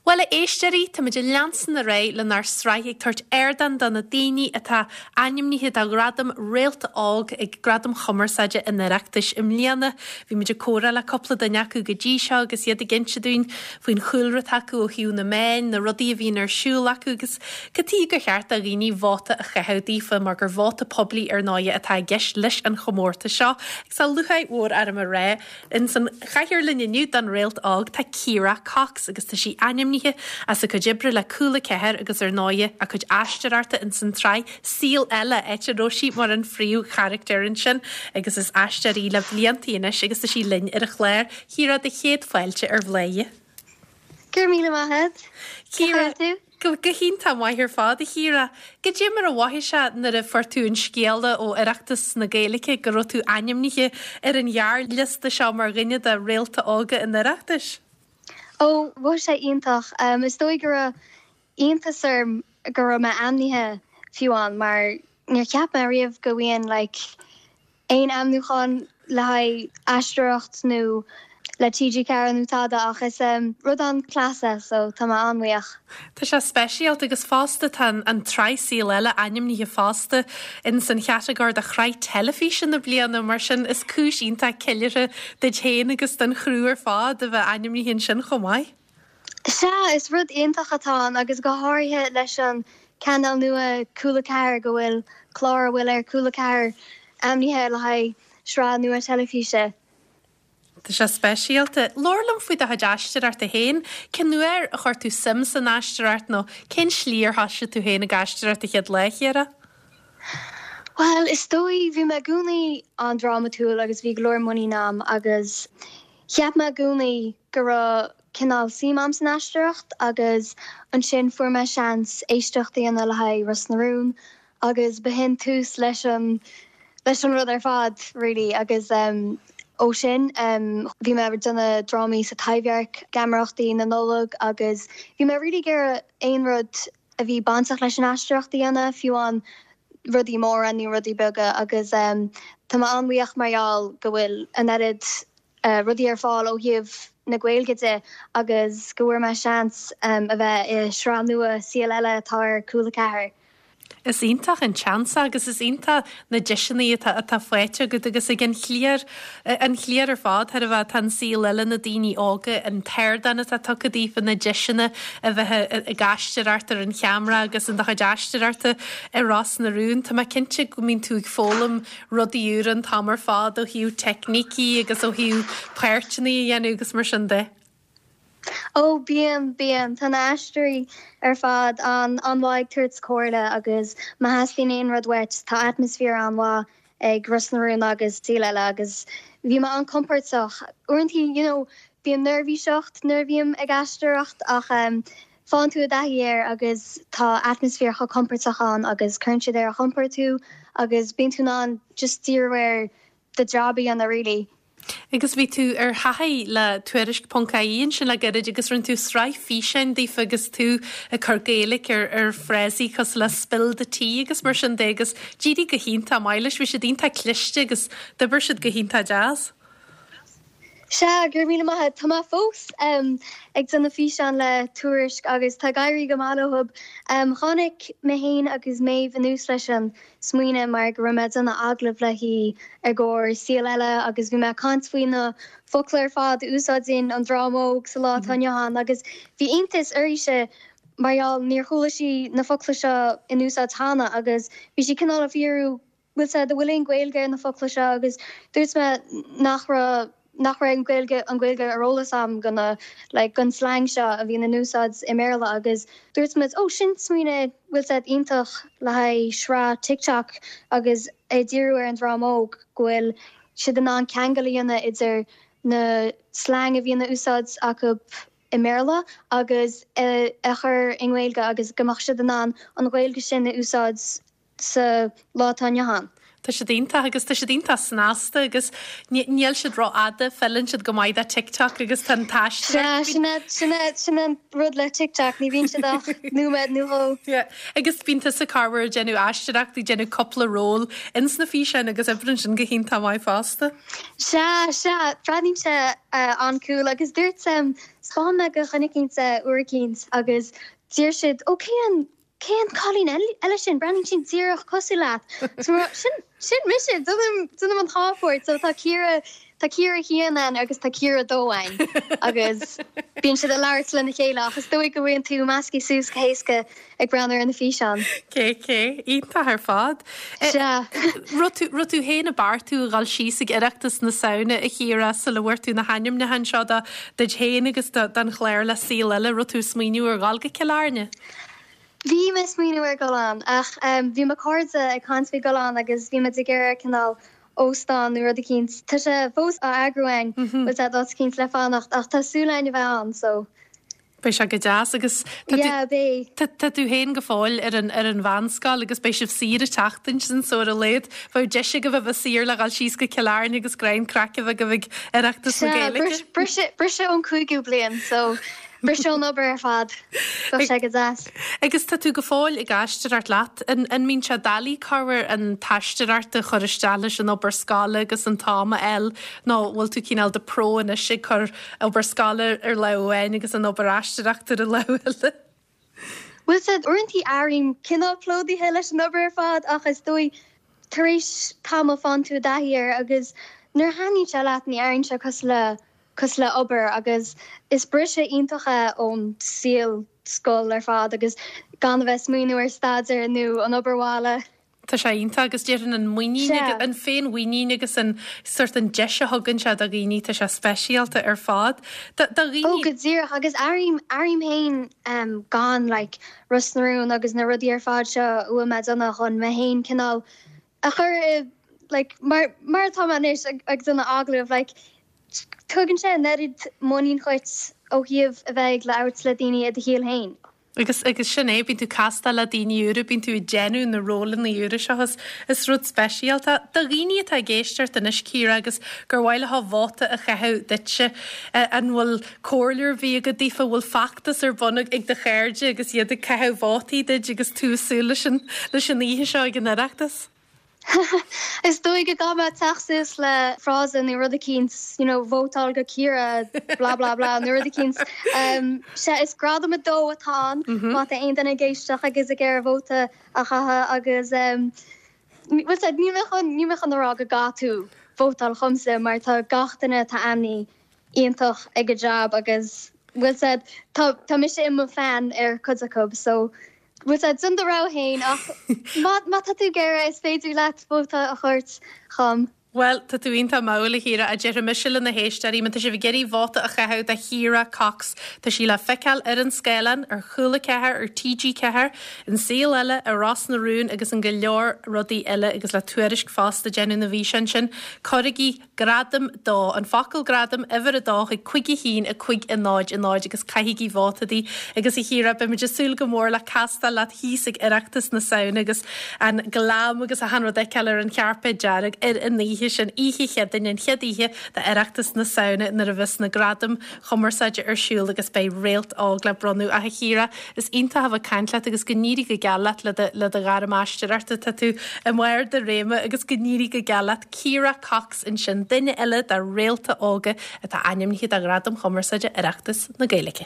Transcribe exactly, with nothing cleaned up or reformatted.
Bhuel, a éisteoirí, táimid ag leanstan ar aghaidh lenár sraith ag tabhairt ardán do na daoine atá ainmnithe do ghradam Réalta Óg ag Gradaim Chumarsáide an Oireachtais i mbliana. Bhí muid ag comhrá le cúpla duine acu go dtí seo agus iad ag inse dúinn faoin chúlra atá acu ó thaobh na meán, na rudaí a bhíonn ar siúl acu agus cad chuige gur cheart do dhaoine vóta a chaitheamh daofa mar gur vóta poiblí ar ndóigh atá i gceist leis an chomórtas seo. Agus tá lúcháir mhór orm a rá in san chathaoir linn inniu don Réalt Óg tá Ciara Cox agus tá sí ainmnithe as a cuid oibre le Cúla Ceathair agus ar ndóigh a cuid aisteoireachta in san tsraith Saol Ella áit a raibh sí mar an phríomhcharachtar ansin agus is aisteoir í le blianta anois agus tá sí linn ar an chlár. Ciara do chéad fáilte ar Bhladhaire. Gur míle maith Ciara Go go hiontach maith ar fad a Chiara. Goidé mar a mhothaigh sé nuair a fuair tú an scéala ó Oireachtas na Gaeilge go raibh tú ainmnithe ar an ghearrliosta seo mar dhuine de réalta óga an Oireachtais. Ó bhí sé iontach um, is dóigh go raibh iontas orm go raibh mé ainmnithe fiú amháin mar níor cheap mé riamh go bhfuil like, aon ainmniúchán le haghaidh aisteoireacht nó le T G Ceathair nó tada ach is um, rud an-class é so tá mé an-bhuíoch. Tá sé speisialta agus fosta tá an tsraith Saol Ella ainmnithe fosta in san chatagóir de shraith teilifíse na bliana mar sin is cúis iontach ceiliúrtha duit féin agus don chriú ar fad a bheith ainmnithe ansin chomh maith. Sea is rud iontach atá ann agus go háirithe leis an cainéal nua Cúla Ceathair go bhfuil clár a bhfuil ar Cúla Ceathair ainmnithe le haghaidh sraith nua teilifíse. Tá sé speisialta. Labhair liom faoi do chuid aisteoireachta féin, cén uair a chuir tú suim san aisteoireacht nó cén slí ar thosaigh tú féin ag aisteoireacht an chéad lá Chiara? Well, is dóigh bhí mé i gcónaí an-drámatúil agus bhí go leor muinín agam agus cheap mé i gcónaí go raibh cineál suim agam san aisteoireacht agus ansin fuair mé seans éisteacht a dhéanamh le haghaidh Ros na Rún agus b'shin tús leis an leis an rud ar fad really agus um, ó sin um, bhí mé ag déanamh drámaí sa Taibhdhearc, geamaireachtaí na Nollag agus bhí mé really ag iarraidh aon rud a bhí bainteach leis an aisteoireacht a dhéanamh fiú amháin rudaí móra nó rudaí beaga agus um, Tá mé an-bhuíoch mar gheall go bhfuil an oiread uh, rudaí ar fáil ó thaobh na Gaeilge de agus go bhfuair mé seans um, a bheith i sraith nua Saol Ella atá ar Cúla Ceathair. Is iontach an seans agus is iontach na deiseanna atá atá faighte agat agus ag an chliar an chliar ar fad thar a bheith an Saol Ella na daoine óga an t-ardán atá tugtha daofa na deiseanna a bheith ag aisteoireacht ar an cheamara agus an do chuid aisteoireachta ar Ros na Rún. Tá mé cinnte go mbíonn tú ag foghlaim rudaí úr an t-am ar fad ó thaobh teicnící agus ó thaobh páirteanna a dhéanamh agus mar sin de. Ó bíonn bíonn tá na haisteoirí ar fad an an-mhaith ag tabhairt comhairle agus má theastaíonn aon rud uait tá atmaisféar an-mhaith ag Ros na Rún agus Saol Ella agus bhí mé an-compordach. Uaireanta you know, bíonn neirbhíseacht nuair a bhím ag aisteoireacht ach um, faigheann tú i dtaithí air agus tá atmaisféar chomh compordach ann agus cuireann siad ar a chompord tú agus bíonn tú in ann just díriú ar do job a dhéanamh really. Agus bhí tú ar thaithí le Tuairisc ponc ie ansin le gairid agus rinne tú sraith físeáin daofa agus tú ag cur Gaeilge ar ar frásaí cosúil le spill the tea agus mar sin de agus d'éirigh go hiontach maith leis bhí siad iontach cliste agus d'oibir siad go hiontach deas. Sea gur mí maith tá fós um, ag déanamh físeán le Tuairisc agus tá ag éirí go maith leo. Um, Tháinig mé féin agus Méabh anuas leis an smaoineamh mar go raibh mé ag déanamh agallamh léi ar gcóir Saol Ella agus bhí mé ag caint faoi na focla ar fad a úsáideann an dream óg sa lá atá inniu ann agus bhí iontas uirthi mar níor chuala sí na focla seo in úsáid cheana agus bhí sí cineál ag fiafraí bhfuil sé bhfuil aon Ghaeilge ar na focla seo agus dúirt mé nach raibh nach raibh an Ghaeilge an Ghaeilge ar eolas agam go na like, gon slang seo a bhíonn in úsáid i mBéarla agus dúirt muid ó sin smaoineamh bhfuil sé iontach le haghaidh sraith TikTok agus é díriú ar an dream óg go bhfuil siad in ann ceangal a dhéanamh idir na slang a bhíonn in úsáid acu i mBéarla agus é a chur i nGaeilge agus go mbeadh siad in ann an Ghaeilge sin a úsáid sa lá atá inniu ann. Tá siad iontach agus tá siad iontach snasta agus níl siad rófhada, feileann siad go maith do TikTok agus tá an t-aisteoireacht. Sea, sin é, sin é, sin é an rud le TikTok, ní bhíonn siad ach nóiméad nó dhó. Yeah. Agus bíonn tusa corruair ag déanamh aisteoireacht, ag déanamh cúpla ról ins na físeáin agus oibríonn sin go hiontach maith fosta. Sea, sea, breathnaíonn sé an-cool agus dúirt, 'spáin mé do dhuine eicínt é uair eicínt agus deir siad, ó cén Cén cailín eile sin? Breathnaíonn sí díreach cosúil leat. So mé, sin, sin mise! Déanaim, déanaim an dhá pháirt. So tá Ciara, tá Ciara a haon ann agus tá Ciara a dó ann. Agus bíonn siad ag labhairt lena chéile ach is dóigh go bhfaigheann tú measctha suas go héasca ag breathnú ar na físeáin. Cé, cé, iontach ar fad. Sea. Raibh tú, raibh tú féin ag beartú a dhul síos ag Oireachtas na Samhna a Chiara sula bhfuair tú na hainmniúcháin seo do, duit féin agus do, don chlár le Saol Ella, raibh tú ag smaoineamh ar dhul go Cill Airne? Bhí mé ag smaoineamh ar dhul ann ach bhí mo chairde ag caint faoi dhul ann agus bhí muid ag iarraidh cineál óstán nó rud eicínt. Tá sé fós á eagrú againn, bhfuil a fhios agat, áit eicínt le fanacht ach tá súil againn a bheith ann so. Beidh sé go deas agus tá tú Yeah, beidh. tá tá tú féin go fóill ar an ar an mheánscoil agus beidh sibh saor an tseachtain sin so ar a laghad bheadh deis agaibh a bheith saor le dhul síos go Cill Airne agus greim craic a bheith agaibh ag Oireachtas na Sea, Gaeilge. briseadh briseadh ón cúigiú bliain so Briseadh ón obair ar fad. Bheadh sé go deas. Agus tá tú go fóill ag aisteoireacht leat. An an mbíonn sé doiligh corruair an t-aisteoireacht a chur isteach leis an obair scoile agus an t-am a fháil nó bhfuil tú cineál de pro anois ag cur obair scoile ar lámh amháin agus an obair aisteoireachta ar an lámh eile? Bhfuil a fhios agat, uaireanta airím cineál plódaithe leis an obair ar fad ach is dóigh tar éis tamaill faigheann tú i dtaithí air agus nuair a thaitníonn sé leat ní airíonn sé cosúil le cosúil le obair agus is briseadh iontach é ón saol scoil ar fad agus gan a bheith ag smaoineamh ar staidéar nó an obair bhaile. Tá sé iontach agus déarfainn an muinín Sea. an féinmhuinín agus an sort an deis a thugann sé do dhaoine, tá sé speisialta ar fad. Do do Ó dhaoine. go díreach agus airím airím féin um, gan like Ros na Rún agus na rudaí ar fad seo a bhfuil mé ag déanamh chun mé féin cineál a chur i like mar mar atá mé anois ag ag déanamh agallamh like Tugann sé an oiread muinín dhuit ó thaobh a bheith ag labhairt le daoine i do shaol féin. Agus agus sin é, bíonn tú ag castáil le daoine úra, bíonn tú ag déanamh na rólanna úra seo, is is rud speisialta. Do dhaoine atá ag éisteacht anois, Ciara, agus gur mhaith leo vóta a chaitheamh duitse, an bhfuil comhairle ar bith agat daofa, bhfuil feachtas ar bun ag do chairde agus iad ag caitheamh vótaí duit agus tú ag súil leis an leis an oíche seo ag an Oireachtas? Is dóigh go gcaithfidh mé teacht suas le frása nó rud eicínt, you know, vótáil do Ciara blah blah blah nó rud eicínt. Um, sea, is gradam a dó atá ann, má tá aon duine ag éisteacht agus ag iarraidh vóta a chaitheamh agus um, bhfuil a fhios agat, níl mé chun, níl mé chun a rá go gcaithfidh tú vótáil chumsa mar tá gach duine atá ainmnithe iontach ag a jab agus bhfuil a fhios agat, tá, tá mise i mo fan ar cuid acu so Bhfuil a fhios agat, déan do rogha féin ach má má tá tú ag iarraidh is féidir leat vóta a thabhairt dhom. Bhuel, tá tú iontach mall, a Chiara, a déarfaidh mise le na héisteoirí, má tá sibh ag iarraidh vóta a chaitheamh do Chiara Cox, tá sí le feiceáil ar an scáileán, ar Chúla Ceathair, ar T G Ceathair, in Saol Ella, i Ros na Rún agus in go leor rudaí eile agus le Tuairisc fosta ag déanamh na bhfíseán sin. Cuirigí Gradam dó, an focal gradam, uimhir a dó chuig cúig a haon, a cúig, a náid, a náid agus caithigí vóta di. Agus a Chiara, beimid ag súil go mór le castáil leat thíos ag Oireachtas na Samhna agus an glam agus achan rud a fheiceáil ar an chairpéad dearg ar an oíche sin, oíche Chéadaoin, an chéad oíche d'Oireachtas na Samhna nuair a bheas na Gradaim Chumarsáide ar siúl agus beidh Réalt Óg le bronnadh. Ach a Chiara, is iontach a bheith ag caint leat agus go n-éirí go geal leat le do le do ghairm aisteoireachta. Tá tú i mbarr do réime agus go n-éirí go geal leat. Ciara Cox ansin, duine eile de réalta óga atá ainmnithe do Ghradaim Chumarsáide Oireachtas na Gaeilge.